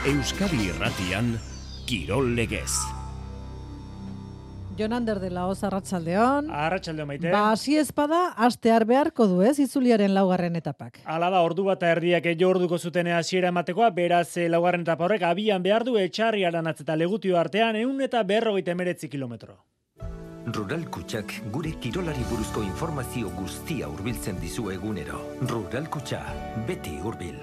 Euskadi Irratian, Kirol Legez. Jon Ander de la Oz, arratsaldeon. Arratsaldeon, Maite. Hasi espada astear beharko du, ez, itzuliaren laugarren etapak. Hala da, ordu bat erdiak orduko zuten hasiera ematekoa, beraz laugarren etapa horrek abian behar du Etxarri Aranatz eta Legutio artean 149 kilometro. Rural Kutxak gure kirolari buruzko informazio guztia hurbiltzen dizu egunero. Rural Kutxa, beti hurbil.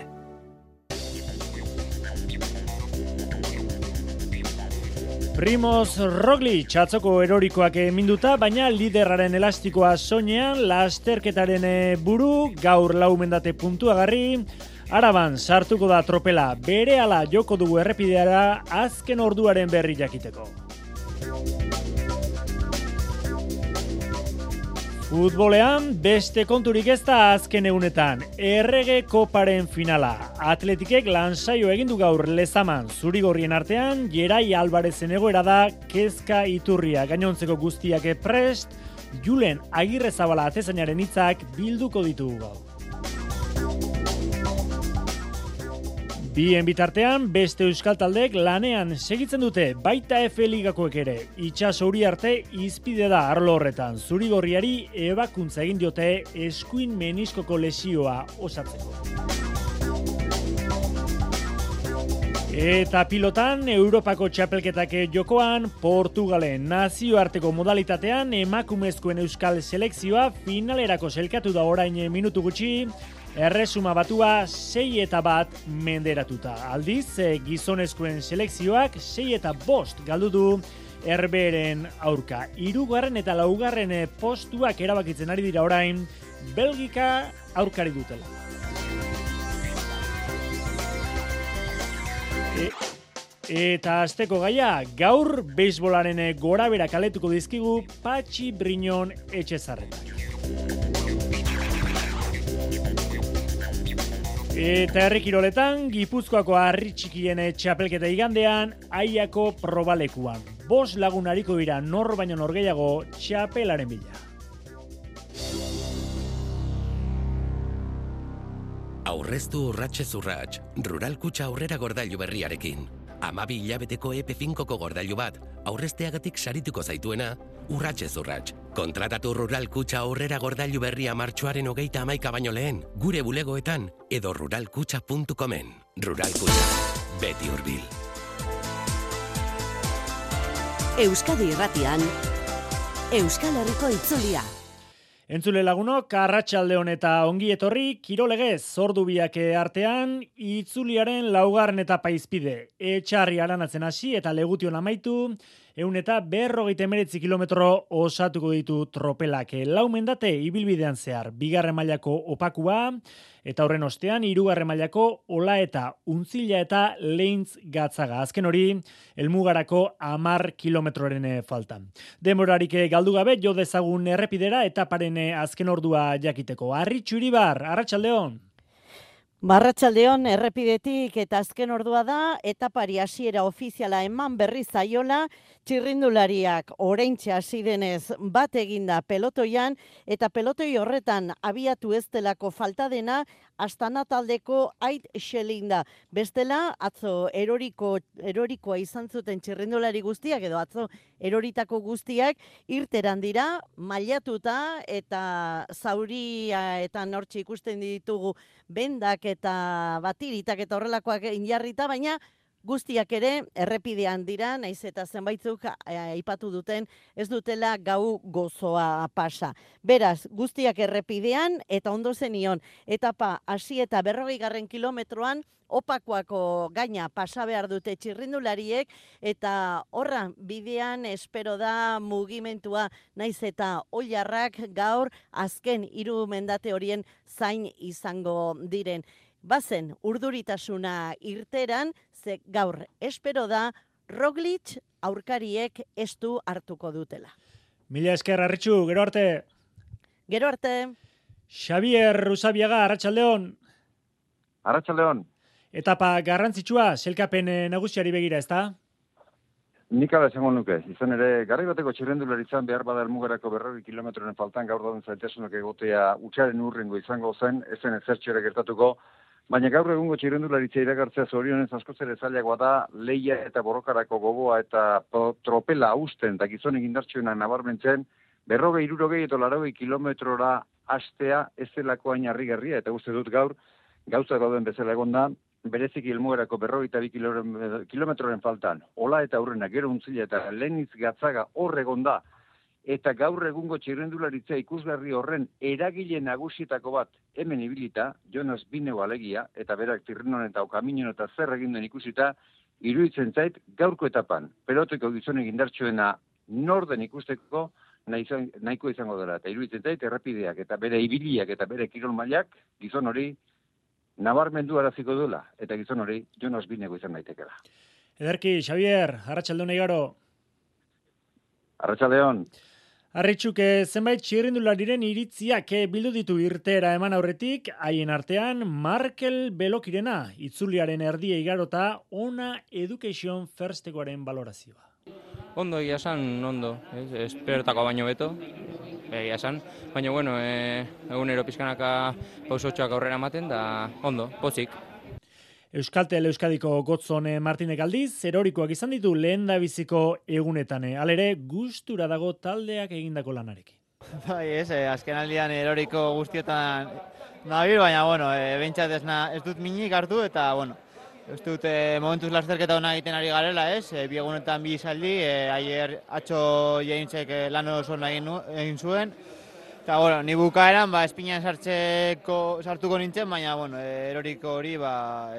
Primoz Roglic atzoko erorikoak minduta, baina liderraren elastikoa soinean, lasterketaren buru, gaur laumendate puntuagarri, Araban sartuko da tropela, berehala joko dugu errepideara azken orduaren berri jakiteko. Futbolean, beste konturik ez da azken egunetan, Errege Koparen finala. Atletikek lansaio egindu gaur Lezaman, zurigorrien artean, Jerai Albarezen egoera da, kezka iturria gainontzeko guztiak prest, Julen Agirrezabala atezainaren hitzak bilduko ditugu gaur. Bien bitartean, beste euskal taldeek lanean segitzen dute, baita F ligakoek ere. Itxaso Uriarte izpide da arlo horretan. Zurigorriari ebakuntza egin diote eskuin meniskoko lesioa osatzeko. Eta pilotan, Europako txapelketak jokoan, Portugalen nazioarteko modalitatean emakumezkoen euskal selekzioa finalerako selkatu da orain minutu gutxi, erresuma batua 6-1 menderatuta. Aldiz, gizonezkoen selekzioak 6-5 galdu du Herberen aurka. 3. eta 4. postuak erabakitzen ari dira orain, Belgika aurkari dutela. Eta asteko gaia, gaur beisbolaren gorabera kaletuko dizkigu Patxi Briñon Etxezarretak. Eta herri kiroletan, Gipuzkoako harri txikien txapelketa igandean, Aiako probalekuan. 5 lagun hariko dira nor baino nor gehiago txapelaren bila. Aurreztu urratsez urrats, Rural Kutxa aurrera gordailu berriarekin. 12 hilabeteko EP5ko gordailu bat, aurrezteagatik sarituko zaituena, urratsez urrats. Kontratatu Rural Kutxa aurrera gordailu berria martxoaren 31 baino lehen, gure bulegoetan edo ruralkutxa.comen. Rural Kutxa, beti hurbil. Euskadi Irratian, Euskal Herriko itzulia. Entzule lagunok, arratsaldeon eta ongi etorri, kirolegez, ordu biak artean, itzuliaren laugarren etapa izpide. Etxarri Aranatzen hasi eta Legution amaitu, 149 kilometro osatuko ditu tropelak. Laumendate ibilbidean zehar, 2. mailako opakua, eta horren ostean, 3. mailako ola eta untzila eta leintz gatzaga. Azken hori, helmugarako 10 kilometroren faltan. Demorarik galdu gabe, jo dezagun errepidera etaparen azken ordua jakiteko. Arritxu Iribar, arratsaldeon. Arratsaldeon, errepidetik eta azken ordua da, etapari hasiera ofiziala eman berri zaiola, txirrindulariak oraintxe hasi denez bat eginda pelotoian, eta pelotoi horretan abiatu ez delako falta dena, Astana taldeko Ait Xelinda. Bestela, atzo erorikoa izan zuten txirrindulari guztiak, edo atzo eroritako guztiak, irteran dira, mailatuta eta zauria eta nortxe ikusten ditugu bendak eta batiritak eta horrelakoak injarrita, baina guztiak ere errepidean dira, naiz eta zenbaitzuk aipatu duten ez dutela gau gozoa pasa. Beraz, guztiak errepidean eta ondo zenion etapa hasi eta 40. kilometroan opakoako gaina pasa behar dute txirrindulariek eta horra bidean espero da mugimentua naiz eta oilarrak gaur azken 3 mendate horien zain izango diren. Bazen urduritasuna irteran, ze gaur espero da Roglic aurkariek estu hartuko dutela. Mila esker, Arritxu, gero arte. Gero arte. Xabier Usabiaga, arratsaldeon. Arratsaldeon. Etapa garrantzitsua, selkapen nagusiari begira, ezta? Nik ala esango nuke. Izan ere, garri bateko txirrendularitzan behar bada helmugarako 40 kilometroren faltan gaur dauden zailtasunak egotea utxaren urrengo izango zen, ezen ezertxo ere gertatuko, Baina gaur egungo txirrendularitza iragartzea zorionez askoz ere zailagoa da, leia eta borrokarako gogoa eta tropela hausten eta gizonek indartsuenak nabarmentzen, 40-60 eta 80 kilometrora hastea ez delako hain harrigarria, eta uste dut gaur, gauza dauden bezala egon da, bereziki helmugerako 42 kilometroren faltan, ola eta aurrena, gero untzila eta Leniz Gatzaga hor egon da, eta gaur egungo txirrendularitza ikusgarri horren eragile nagusietako bat hemen ibilita, Jonas Bineu alegia, eta berak Tirrenon eta Okaminon eta zer egin den ikusita, iruditzen zait gaurko etapan, peloteko gizonek indartsuena norden ikusteko nahiko izango dela, eta iruditzen zait errepideak eta bere ibiliak eta bere kirol mailak gizon hori nabarmendu araziko duela, eta gizon hori Jonas Bineu izan daitekela. Ederki, Xavier, arratsaldeon igaro. Arratsaldeon. Arritxuk, zenbait txirrindulariren iritziak bildu ditu irteera eman aurretik, haien artean Markel Belokirena, itzuliaren erdia igarota, ona Education Firstekoaren balorazioa. Ondo, egia esan, ondo, esperotako baino beto, egia esan, baina bueno, egunero pizkanaka pausotxoak aurrera ematen, da ondo, pozik. Euskaltel Euskadiko Gotzon Martinek aldiz, erorikoak izan ditu lehendabiziko egunetan. Halere, gustura dago taldeak egindako lanarekin. Bai, azken aldian eroriko guztietan nabil, baina, bueno, bentsat ez dut minik hartu, eta, bueno, ez dut momentuz lasterketa hona egiten ari garela, bi egunetan bi izaldi, aier atxo jaintzek lan oso egin zuen, eta, bueno, ni bukaeran, espinan sartuko nintzen, baina, bueno, eroriko hori,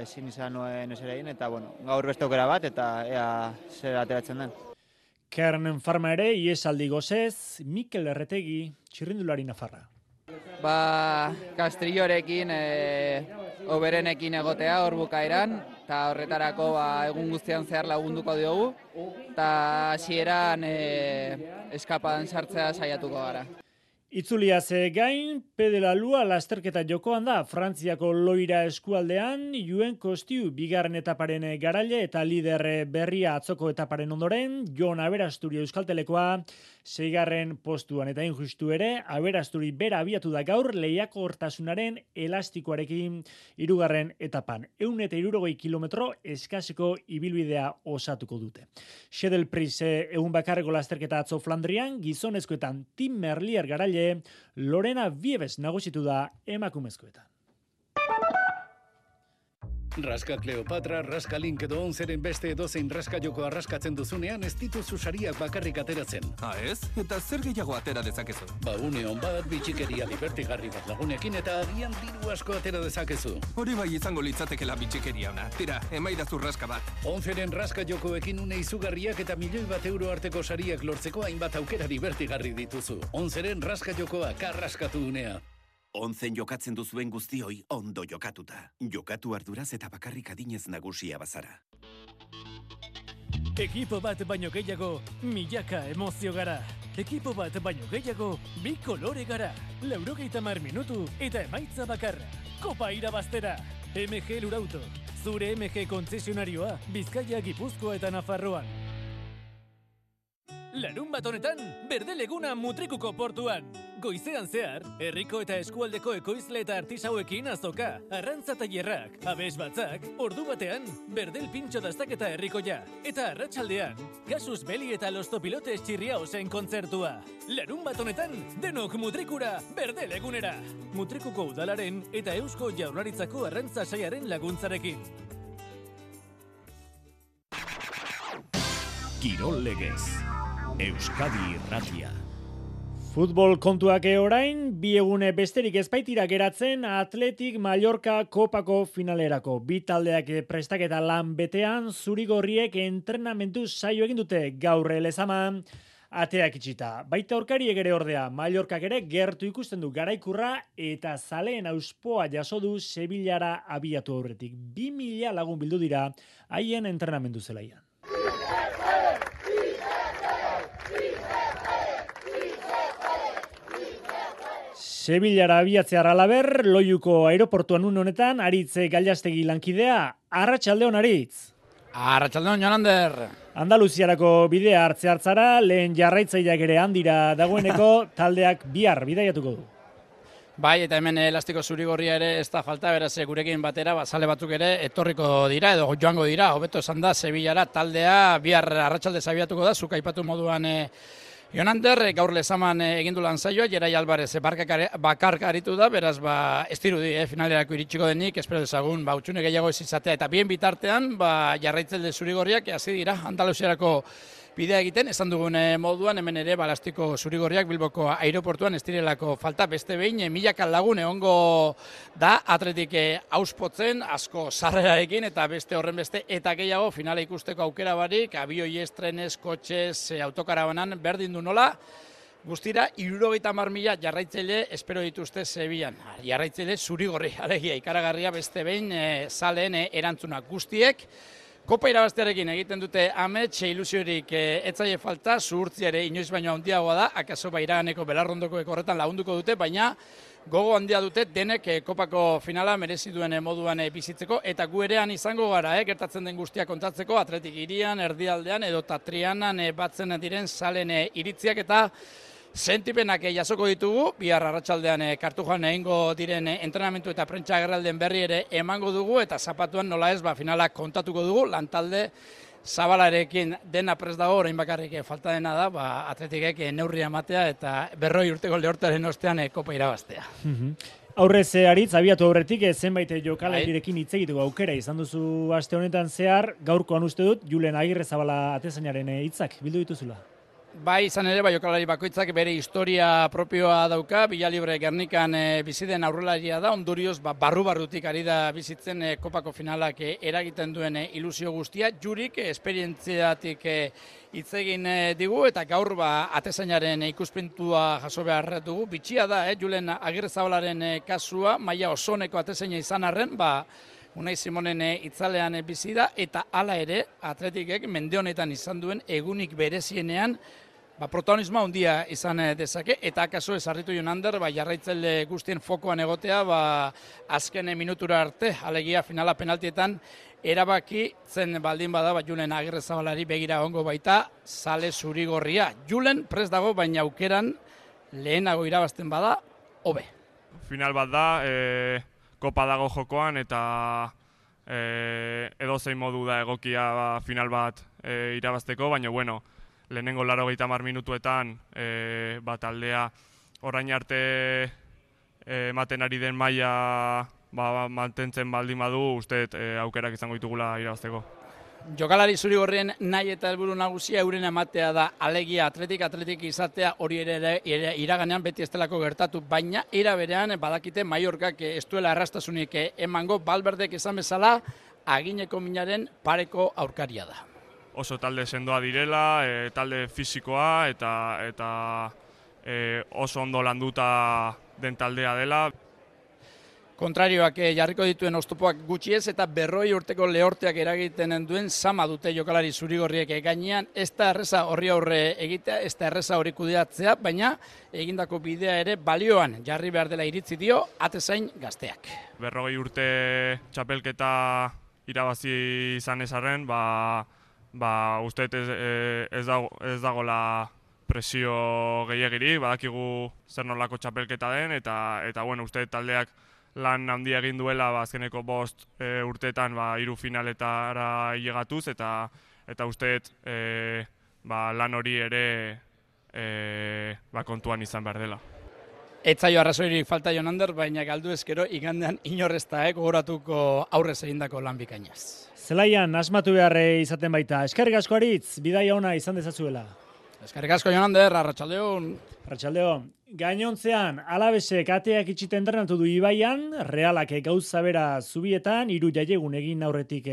ezin izan nuen ez ere egin, eta, bueno, gaur beste aukera bat, eta ea zer ateratzen den. Kern Farma ere, iesaldi gozez, Mikel Erretegi, txirrindulari nafarra. Kastrillorekin, oberenekin egotea hor bukaeran, eta horretarako egun guztian zehar lagunduko diogu, eta hasieran eskapadan sartzea saiatuko gara. Itzuliaz gain, Pedela Lua lasterketa jokoan da, Frantziako Loira eskualdean, Juen Kostiu bigarren etaparen garaile eta lider berria atzoko etaparen ondoren, Jon Aberasturi Euskaltelekoa, 6. postuan eta injustu ere, Aberasturi bera abiatu da gaur lehiakortasunaren elastikoarekin 3. etapan. 160 kilometro eskaseko ibilbidea osatuko dute. Xedel Pris egun bakarreko lasterketa atzo Flandrian, gizonezkoetan Tim Merlier garaile, Lorena Viebes nagusitu da emakumezkoetan. Raska Kleopatra, Raska Link edo 11ren beste edozein raska joko arraskatzen duzunean ez dituzu sariak bakarrik ateratzen. Ez? Eta zer gehiago atera dezakezu? Une on bat, bitxikeria libertigarri bat lagunekin eta agian diru asko atera dezakezu. Hori bai izango litzatekela bitxikeria ona. Tira, emaidazu raska bat. 11ren raska jokoekin une izugarriak eta €1.000.000 arteko sariak lortzeko hainbat aukera libertigarri dituzu. 11ren raska jokoa karraskatu unea. 11 jokatzen duzuen guztioi ondo jokatuta. Jokatu arduraz eta bakarrik adinez nagusia bazara. Ekipo bat baino gehiago, milaka emozio gara. Ekipo bat baino gehiago, 2 kolore gara. 90 minutu eta emaitza bakarra. Kopa irabaztera. MG Lurauto. Zure MG kontzesionarioa, Bizkaia, Gipuzkoa eta Nafarroan. Larunbat honetan, Berdeleguna Mutrikuko portuan. Goizean zehar, herriko eta eskualdeko ekoizle eta artisauekin azoka, arrantza tailerrak, abes batzak, ordu batean, Berdel pintxo dastaketa herrikoia. Eta arratsaldean, Kasus Beli eta Los Topilotes Chirriaosen kontzertua. Larunbat honetan, denok Mutrikura, Berdelegunera. Mutrikuko udalaren eta Eusko Jaurlaritzako arrantza saiaren laguntzarekin. Kirol Legez. Euskadi Irratia. Futbol kontuak orain, 2 egune besterik ezbaitira geratzen Atletik Mallorca Kopako finalerako. 2 taldeak prestaketa lan betean, zurigorriek entrenamendu saio egin dute gaur Lezaman ateak itxita. Baita aurkariek ere ordea, Mallorcak ere gertu ikusten du garaikurra eta zaleen auspoa jaso du Sevillara abiatu aurretik. 2.000 lagun bildu dira haien entrenamendu zelaian. Sevillara abiatzear alaber, Loiuko aeroportuan honetan, Aritz Gailastegi lankidea, arratsaldeon Aritz. Arratsaldeon Jonander. Andaluziarako bidea hartzara, lehen jarraitzaileak ere handira dagoeneko taldeak bihar bidaiatuko du. Bai, eta hemen elastiko zurigorria ere ez da falta, beraz gurekin batera, zale batzuk ere etorriko dira, edo joango dira, hobeto esan da, Sevillara taldea, bihar arratsalde zabiatuko da, zuk aipatu moduan Jonander, gaur lezaman egindu lan zaioa, Jerai Alvarez bakarka aritu da, beraz ez dirudi, finalerako iritsiko denik, espero dezagun, utxune gehiago ez izatea, eta bien bitartean, jarraitzaile zurigorriak, hasi dira, Andaluziarako bidea egiten, esan dugun moduan, hemen ere balastiko zurigorriak Bilboko aireportuan ez direlako falta, beste behin, milaka lagun egongo da, atletik auspotzen, asko sarrerarekin, eta beste horren beste, eta gehiago, finale ikusteko aukera barik, abioi estrenez, kotxez, autokarabanan, berdin du nola, guztira, 70.000 jarraitzaile espero dituzte Sevillan. Jarraitzaile zurigorri, alegia, ikaragarria beste behin, zaleen erantzunak guztiek, Kopa irabaztearekin egiten dute amets, ilusiorik etzaile falta, zuhurtzia ere inoiz baino handiagoa da, akaso iraganeko belarrondoko horretan lagunduko dute, baina gogo handia dute denek kopako finala merezi duen moduan bizitzeko, eta gu erean izango gara, gertatzen den guztia kontatzeko, Atletik Hirian, Erdialdean edo Trianan batzen diren zalen iritziak eta sentipenak jasoko ditugu, bihar arratsaldean Kartujan egingo diren entrenamentu eta prentsa agerralden berri ere emango dugu, eta zapatuan nola ez finala kontatuko dugu, lantalde Zabalarekin dena prest dago, orain bakarrik falta dena da, Atletikek neurria ematea eta 100 urteko lehortaren ostean kopa irabaztea. Aurrez aritz, abiatu aurretik, zenbait jokalarirekin hitz egiteko aukera izan duzu aste honetan zehar, gaurkoan uste dut, Julen Agirrezabala atezainaren hitzak bildu dituzula. Bai, izan ere, jokalari bakoitzak bere historia propioa dauka, Villalibre Gernikan biziden aurrelaria da, ondorioz barru-barrutik ari da bizitzen kopako finalak eragiten duen ilusio guztia, jurik esperientziatik hitz egin digu, eta gaur atezainaren ikuspuntua jaso behar dugu, bitxia da, Julen Agirrezabalaren kasua, maila osoneko atezaina izan arren, Unai Simonen itzalean bizi da, eta hala ere, Atletikek mende honetan izan duen egunik berezienean, protagonismoa handia izan dezake, eta akaso ezarritu Jonander, jarraitzaile guztien fokoan egotea, azken minutura arte, alegia finala penaltietan, erabaki zen baldin bada, Julen Agirrezabalari begira ongo baita, zale zurigorria. Julen prest dago, baina aukeran lehenago irabazten bada, hobe. Final bat da, kopa dago jokoan, eta edozein modu da egokia final bat irabazteko, baina lehenengo 80 minutuetan taldea orain arte ematen ari den maila mantentzen baldin badu, uste aukerak izango ditugula irabazteko. Jokalari zurigorrien nahi eta helburu nagusia euren ematea da, alegia atletik izatea, hori ere iraganean beti estelako gertatu, baina era berean badakite Mallorcak ez duela errastasunik emango, Valverdek esan bezala agineko minaren pareko aurkaria da. Oso talde sendoa direla, talde fisikoa eta oso ondo landuta den taldea dela. Kontrarioak jarriko dituen oztopoak gutxi ez, eta 100 urteko lehorteak eragiten duen sama dute jokalari zurigorriek gainean, ez da erreza horri aurre egitea, ez da erreza hori kudeatzea, baina egindako bidea ere balioan jarri behar dela iritzi dio atezain gazteak. 100 urte txapelketa irabazi izan ezarren, uste ez dagoela presio gehiagirik, badakigu zer nolako txapelketa den, eta uste taldeak lan handia egin duela azkeneko 5 urteetan 3 finaletara hilegatuz, eta usteet lan hori ere kontuan izan behar dela. Etzaio arrazoirik falta Jonander, baina galdu ezkero igandean inorrezta goratuko aurrez egindako lan bikainaz. Zelaian asmatu behar izaten baita. Eskerrik asko Aritz, bidaia ona izan dezazuela. Eskerrik asko Jonander, arratsaldeon. Arratsaldeon. Gainontzean, Alabesek ateak itxita entrenatu du Ibaian, Realak gauza bera Zubietan, 3 jaiegun egin aurretik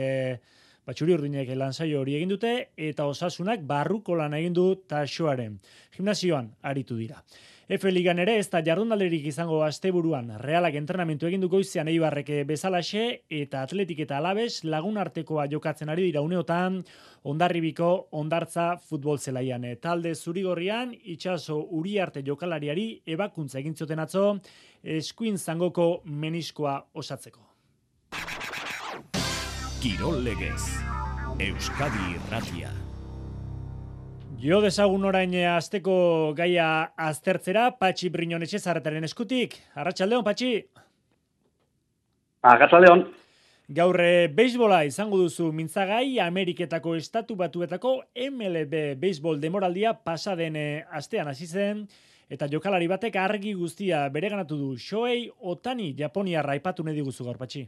Txuri-Urdinek lansaio hori egin dute, eta Osasunak barruko lan egin du Taxoaren. Gimnasioan aritu dira. F-ligan ere ez da jardunaldirik izango asteburuan, Realak entrenamentu egin du goizean Eibarrek bezalaxe, eta Atletik eta Alabes lagun artekoa jokatzen ari dira uneotan, Hondarribiko Hondartza futbol zelaian. Talde zurigorrian, Itxaso Uriarte jokalariari ebakuntza egin zioten atzo, eskuin zangoko meniskoa osatzeko. Kirol legez, Euskadi Irratia. Jo dezagun orain asteko gaia aztertzera, Patxi Briñon Etxezarretaren eskutik. Arratsaldeon, Patxi. Arratsaldeon. Gaur beisbola izango duzu mintzagai, Ameriketako Estatu Batuetako MLB beisbol demoraldia pasaden astean hasi zen, eta jokalari batek argi guztia bereganatu du. Shohei Ohtani Japoniarra aipatu nahi diguzu gaur, Patxi.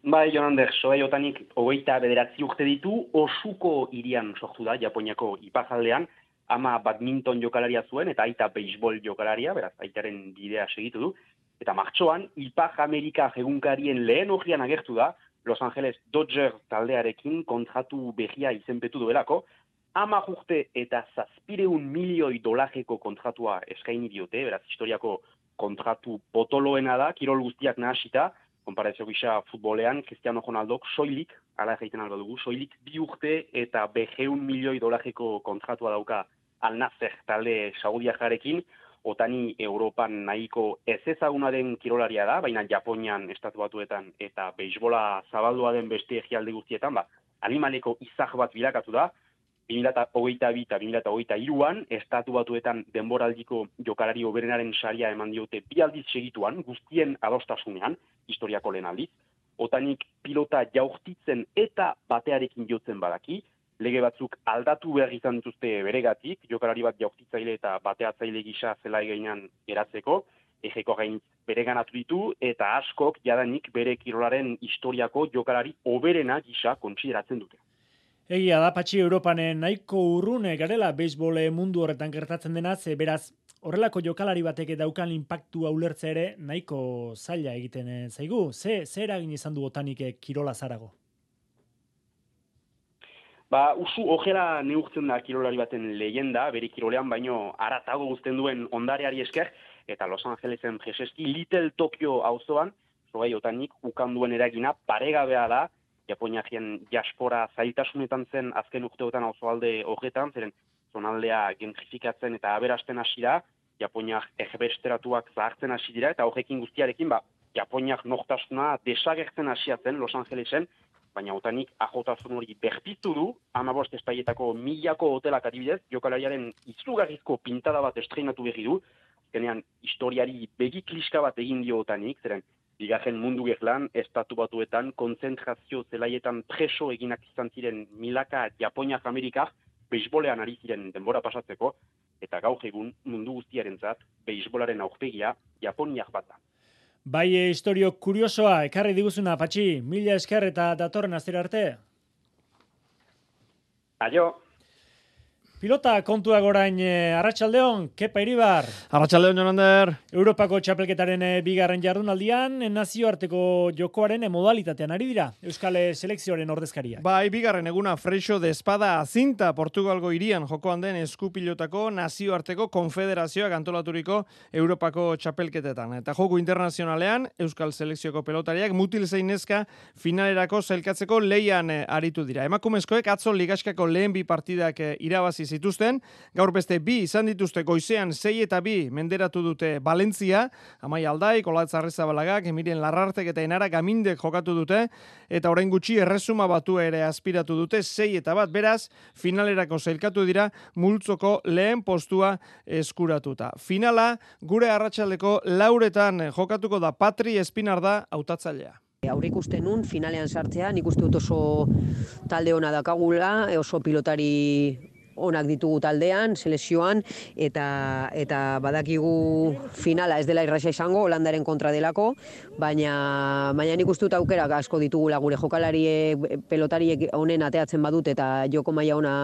Bai, Jonander, Shohei Ohtanik 29 urte ditu, Osuko hirian sortu da, Japoniako iparraldean, ama badminton jokalaria zuen, eta aita beisbol jokalaria, beraz, aitaren bidea segitu du. Eta martxoan, Ipar Amerika egunkarien lehen horrian agertu da, Los Angeles Dodgers taldearekin kontratu berria izenpetu duelako, 10 urte eta $700 milioi kontratua eskaini diote, beraz, historiako kontratu potoloena da, kirol guztiak nahasita, konparazio gisa futbolean, Cristiano Ronaldok soilik, ala egiten alba dugu, soilik 2 urte eta $100 milioi kontratua dauka Al Nassr talde saudiarrarekin. Otani Europan nahiko ez ezaguna den kirolaria da, baina Japonian, Estatu Batuetan eta beisbola zabaldua den beste egialde guztietan, animaleko izar bat bilakatu da. 2022 eta 2023an, Estatu Batuetan denboraldiko jokalari hoberenaren saria eman diote 2 aldiz segituan, guztien adostasunean, historiako lehen aldiz. Otanik pilota jaurtitzen eta batearekin jotzen badaki, lege batzuk aldatu behar izan dituzte beregatik, jokalari bat jaurtitzaile eta bateatzaile gisa zela egeinan eratzeko, egeko gain bereganatu ditu, eta askok jadanik bere kirolaren historiako jokalari hoberena gisa kontsideratzen dute. Egia da, Patxi, Europan nahiko urrune garela beisbol mundu horretan gertatzen denaz, beraz, horrelako jokalari batek daukan inpaktua ulertze ere nahiko zaila egiten zaigu. Ze eragin izan du Otanik kirola zarago? Usu ojera neurtzen da kirolari baten leyenda, bere kirolean baino aratago guzten duen ondareari esker, eta Los Angelesen preseski Little Tokyo auzoan, Shohei Otanik ukanduen eragina paregabea da, Japoniaren diaspora zailtasunetan zen azken urteotan auzoalde horretan, zeren zonaldea gentrifikatzen eta aberasten hasi da, Japoniak erbesteratuak zahartzen hasi dira, eta horrekin guztiarekin, Japoniak nortasuna desagertzen hasiatzen Los Angelesen, baina Otanik ajotasun hori berpiztu du, 15 espaietako 1000ko hotelak adibidez, jokalariaren izugarrizko pintada bat estreinatu berri du, azkenean historiari begi kliska bat egin dio Otanik, zeren bigarren mundu gerlan, Estatu Batuetan, konzentrazio zelaietan preso eginak izan ziren milaka Japoniak Amerikak, beisbolean ari ziren denbora pasatzeko, eta gaur egun mundu guztiarentzat beisbolaren aurpegia Japoniak bat da. Bai, historio kuriosoa, ekarri diguzuna, Patxi, 1000 esker eta datorren astera arte. Aio. Pilota kontuak orain, Arratsaldeon, Kepa Iribar. Arratsaldeon, Jonander. Europako txapelketaren bigarren jardunaldian, nazioarteko jokoaren modalitatean ari dira, Euskal Selekzioaren ordezkaria. Bai, bigarren eguna Freixo de Espada Azinta, Portugalgo hirian jokoan den eskupilotako nazioarteko konfederazioak antolaturiko Europako txapelketetan. Eta joko internazionalean, Euskal Selekzioko pelotariak mutil zein neska finalerako zailkatzeko leian aritu dira. Emakumezkoek atzo ligaskako lehen 2 partidak irabazi zituzten, gaur beste 2 izan dituzte goizean 6 eta 2 menderatu dute Valentzia, Amai Aldaik, Olatz Arrezabalagak, Emiren Larrartek eta Enara Gamindek jokatu dute, eta orain gutxi erresuma batu ere aspiratu dute 6 eta 1, beraz, finalerako zailkatu dira multzoko lehen postua eskuratuta. Finala, gure arratsaldeko 4:00 jokatuko da. Patri Espinar da hautatzailea. Aurreikusten nun finalean sartzea, nik uste dut oso talde ona dakagula, oso pilotari onak ditugu taldean, selekzioan, eta badakigu finala ez dela irraxa izango, Holandaren kontra delako, baina nik uste dut aukerak asko ditugula gure jokalariek, pelotariek honen ateatzen badut eta joko maila ona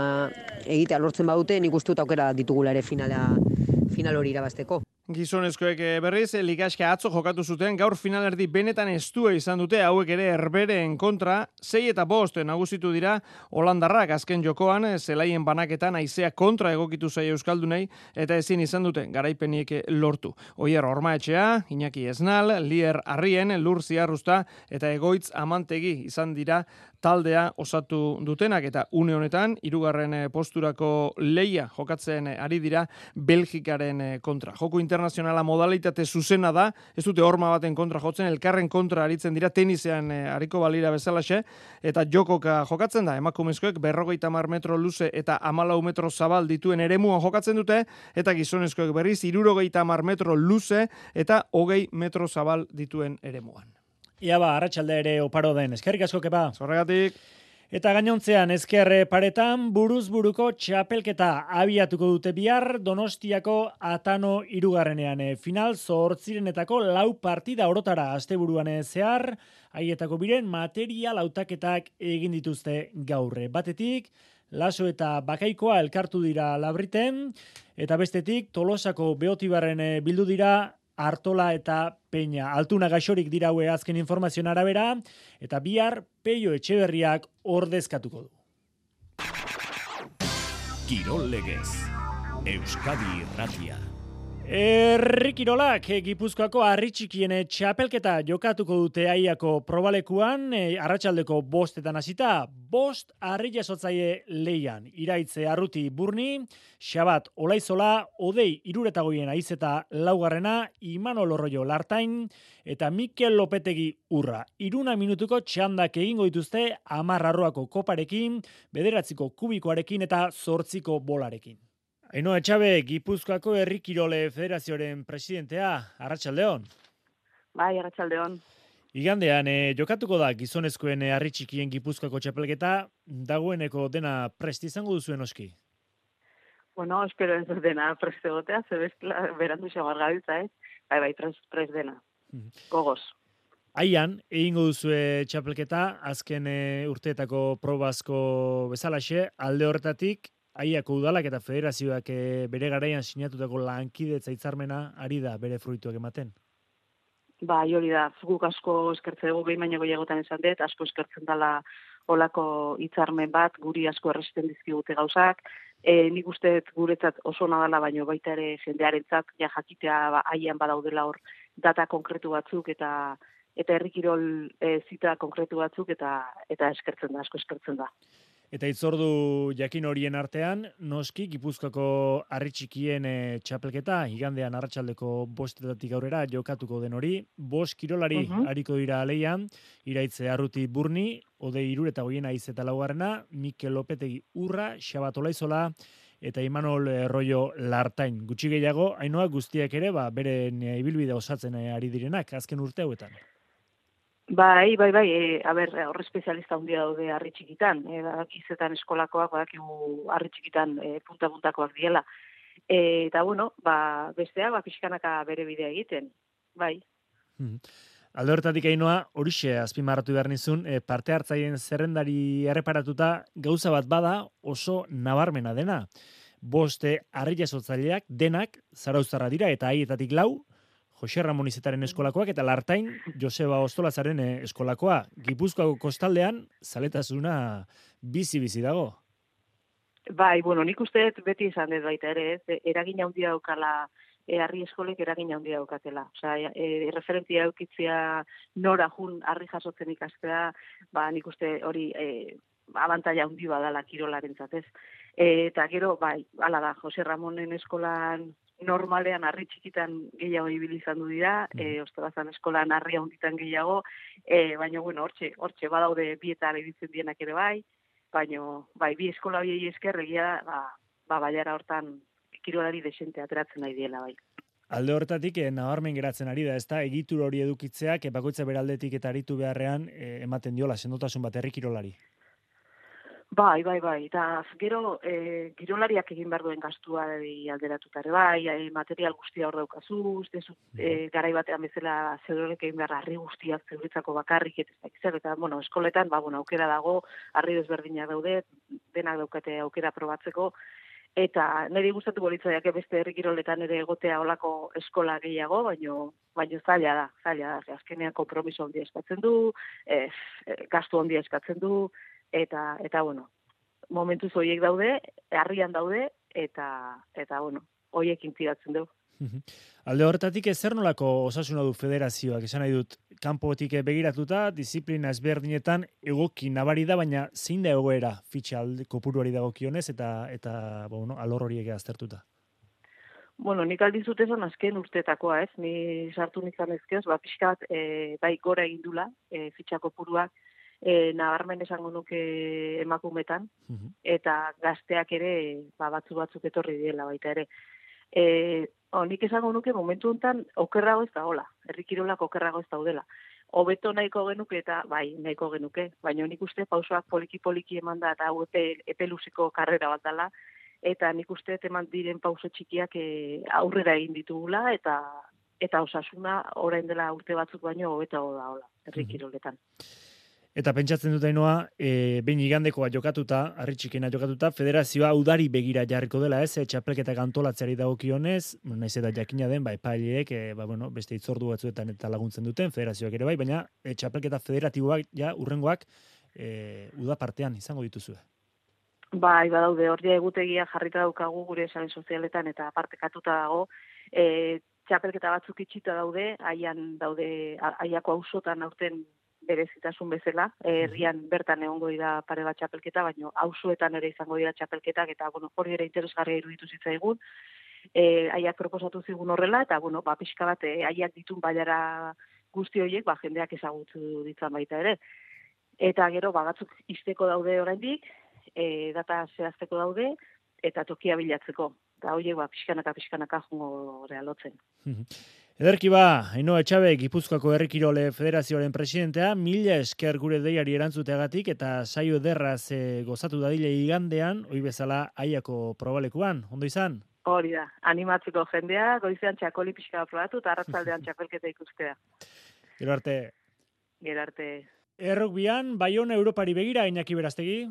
egitea lortzen badute, nik uste dut aukera ditugula ere final hori irabazteko. Gizonezkoek berriz, ligaska atzo jokatu zuten, gaur finalerdi benetan estua izan dute, hauek ere Herbereen kontra, 6 eta 5 nagusitu dira holandarrak azken jokoan, zelaien banaketan haizea kontra egokitu zaio euskaldunei, eta ezin izan dute garaipeniek lortu. Oier Ormaetxea, Iñaki Esnal, Lier Arrien, Lur Ziarrusta eta Egoitz Amantegi izan dira taldea osatu dutenak eta une honetan hirugarren posturako leia jokatzen ari dira Belgikaren kontra. Joko internazionala modalitate zuzena da, ez dute horma baten kontra jotzen, elkarren kontra aritzen dira tenisean ariko balira bezalaxe, eta jokoka jokatzen da, emakumezkoek 50 metro luze eta 14 metro zabal dituen eremuan jokatzen dute, eta gizonezkoek berriz 70 metro luze eta 20 metro zabal dituen eremuan. Ia arratsalde ere oparo den, eskerrik asko kepa. Zorregatik. Eta gainontzean ezker paretan buruz buruko txapelketa abiatuko dute bihar Donostiako Atano hirugarrenean. Final 8 lau partida orotara asteburuan zehar, haietako biren material hautaketak egin dituzte gaur. Batetik, Laso eta Bakaikoa elkartu dira Labriten, eta bestetik Tolosako Beotibarren bildu dira Artola eta Peña. Altuna gaixorik diraue azken informazioen arabera, eta bihar Peio Etxeberriak ordezkatuko du. Kirol legez, Euskadi Irratia. Herri kirolak Gipuzkoako harri txikien txapelketa jokatuko dute Aiako probalekuan, arratsaldeko 5etan hasita, 5 harri jasotzaile leian. Iraitze Arruti Burni, Xabat Olaizola, Odei Iruretagoien Aizeta laugarrena, Imanol Orroio Lartain, eta Mikel Lopetegi Urra. 1 minutuko txandak egingo dituzte 10 arroako koparekin, 9 kubikoarekin eta 8 bolarekin. Ainhoa Etxabe, Gipuzkoako Herri Kirole Federazioaren presidentea, arratsaldeon. Bai, arratsaldeon. Igandean, jokatuko da gizonezkoen harri txikien Gipuzkoako txapelketa, dagoeneko dena prest izango duzuen oski? Bueno, espero ez dena prest egotea, zebezkla berandu xamar gabiltza, Bai, prest dena. Gogoz. Aian, egingo duzue txapelketa, azken urteetako probazko bezalaxe, alde horretatik, Aiako udalak eta federazioak bere garaian sinatutako lankidetza hitzarmena ari da bere fruituak ematen. Bai, hori da, guk asko eskertzen dugu behin baino gehiagotan esan dut, asko eskertzen dela olako hitzarmen bat, guri asko erresisten dizkigute gauzak. Nik uste guretzat oso nadala, baino baita ere jendearentzat ja jakitea aian badaudela hor data konkretu batzuk eta herri kirol zita konkretu batzuk eta eskertzen da, asko eskertzen da. Eta itzordu jakin horien artean, noski Gipuzkoako harri txikien txapelketa, igandean arratsaldeko 5etatik aurrera jokatuko den hori, 5 kirolari ariko dira leian, Iraitze Arruti Burni, Odei Iruretagoien Aizeta laugarrena, Mikel Lopetegi Urra, Xabat Olaizola eta Imanol Orroio Lartain. Gutxi gehiago, Ainhoa guztiak ere, beren ibilbide osatzen ari direnak azken urte hauetan. Bai, hor espezialista handia daude harri txikitan, badakizetan eskolakoak, badakigu harri txikitan punta-puntakoak diela. Eta bueno, besteak pixkanaka bere bidea egiten, bai. Alde horretatik Ainhoa, horixe azpimarratu behar nizun, parte hartzaien zerrendari erreparatuta gauza bat bada oso nabarmena dena. 5 harri jasotzaileak denak zarauztarra dira eta haietatik 4, Jose Ramon Izetaren eskolakoak eta Lartain Joseba Ostolazaren eskolakoa. Gipuzkoako kostaldean zaletasuna bizi-bizi dago. Bai, nik uste beti izan dut baita ere, eragin handia daukala harri eskolek eragin handia daukatela. Osea, referentzia edukitzea nora jun harri jasotzen ikastea, nik uste hori abantaila handi badala kirolarentzat, ez. Eta gero, hala da, Jose Ramonen eskolan normalean harri txikitan gehiago ibili izan du dira, Ostolazan eskolan harri handitan gehiago, baina hortxe badaude bietan editzen dienak ere baina bi eskola biei esker egia baiara hortan kirolari desente ateratzen nahi diela bai. Alde horretatik nabarmen geratzen ari da, ezta egitur hori edukitzeak bakoitza beraldetik eta aritu beharrean ematen diola sendotasun bat herri kirolari. Bai, eta gero kirolariak egin behar duen gastua alderatuta ere material guztia hor daukazu, garai batean bezala zeurek egin behar harri guztiak zeuretzako bakarrik eta eskoletan, aukera dago, harri desberdinak daude, denak daukate aukera probatzeko, eta niri gustatuko litzaiake beste herri kiroletan ere egotea olako eskola gehiago, baina zaila da, azkenean konpromiso handia eskatzen du, gastu handia eskatzen du, eta momentuz horiek daude, harrian daude, eta horiekin tiratzen du. Alde horretatik zer nolako osasuna du federazioak, esan nahi dut, kanpotik begiratuta, disiplina ezberdinetan egoki nabari da, baina zein da egoera fitxa kopuruari dagokionez eta bueno, alor horiek aztertuta? Bueno, nik aldizut esan azken urteetakoa, ez? Ni sartu nizan ezkeoz, pixka bat bai gora egin dula fitxa kopuruak, nabarmen esango nuke emakumetan, eta gazteak ere batzuk etorri diela baita ere. Nik esango nuke momentu honetan okerrago ez dagoela, herri kirolak okerrago ez daudela. Hobeto nahiko genuke eta bai nahiko genuke, baina nik uste pausoak poliki eman da eta hau epe luzeko karrera bat dela, eta nik uste eman diren pauso txikiak aurrera egin ditugula eta osasuna orain dela urte batzuk baino hobeto dagoela herri kiroletan. Eta pentsatzen dut Ainoa, behin igandekoa jokatuta, harri txikena jokatuta, federazioa udari begira jarriko dela, ez? Txapelketak antolatzeari dagokionez, naiz eta jakina den, epaileek, beste itzordu batzuetan eta laguntzen duten, federazioak ere bai, baina txapelketa federatiboak, urrengoak, uda partean izango dituzue. Bai, badaude, hor egutegia jarrita daukagu gure sare sozialetan eta partekatuta dago, txapelketa batzuk itxita daude, aiako auzotan aurten berezitasun bezala, herrian bertan egongo dira pare bat txapelketa, baina auzoetan ere izango dira txapelketak, eta hori ere interesgarria iruditu zitzaigun, aiak proposatu zigun horrela, eta pixka bat aiak ditun baiara guzti horiek, jendeak ezagutu ditzan baita ere. Eta gero, batzuk izteko daude oraindik, data zehazteko daude, eta tokia bilatzeko. Eta horiek pixkanaka jongo realotzen. Ederki Ainoa Etxabe, Gipuzkoako Herri Kirole Federazioaren presidentea, mila esker gure deiari erantzuteagatik eta saio ederraz gozatu dadile igandean, hoi bezala aiako probalekuan, ondo izan? Hori da, animatzeko jendea, goizean txakoli pixka probatu eta arratzaldean txapelketa ikustea. Gero arte. Errukbian, Baiona Europari begira, Iñaki Berastegi.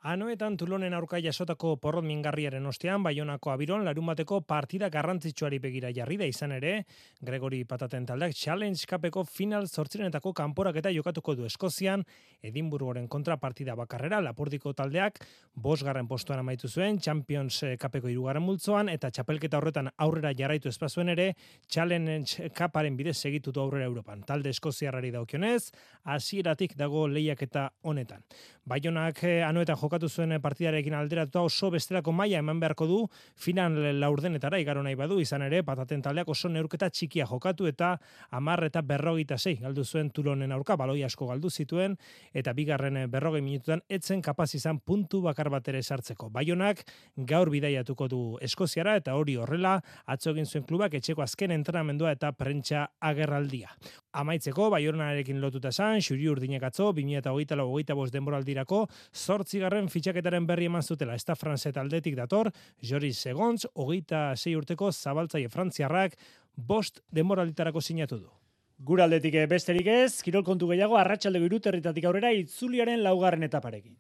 Anoetan Tulonen aurka jasotako porrot mingarriaren ostean, Baionako Abiron larunbateko partida garrantzitsuari begira jarri da izan ere, Gregori Pataten taldeak Challenge Cupeko final 8renetako kanporaketa jokatuko du Eskozian, Edinburgoren kontra partida bakarrera, Lapurdiko taldeak 5. postuan amaitu zuen, Champions Cupeko 3. multzoan, eta txapelketa horretan aurrera jarraitu espazuen ere, Challenge Cuparen bidez segitu du aurrera Europan. Talde eskoziarrari daukionez, hasieratik dago lehiaketa honetan. Baionak Anoetan jokatu zuen partidarekin alderatuta oso bestelako maila eman beharko du final laurdenetara igaro nahi badu, izan ere Pataten taldeak oso neurketa txikia jokatu eta 10-46 galdu zuen Tulonen aurka, baloi asko galdu zituen eta bigarren 40 minututan etzen kapaz izan puntu bakar bat ere sartzeko. Baionak gaur bidaiatuko du Eskoziara eta hori horrela atzo egin zuen klubak etxeko azken entrenamendua eta prentsa agerraldia. Amaitzeko Baionarekin lotuta esan, Xuri Urdinek atzo 2024-25 denboraldirako 8. fitxaketaren berri eman zutela. Esta Franse taldetik dator, Joris Segontz, 26 urteko zabaltzaile frantziarrak 5 denboralditarako sinatu du. Gure aldetik besterik ez, kirol kontu gehiago arratsaldeko 3:00 aurrera itzuliaren 4. etaparekin.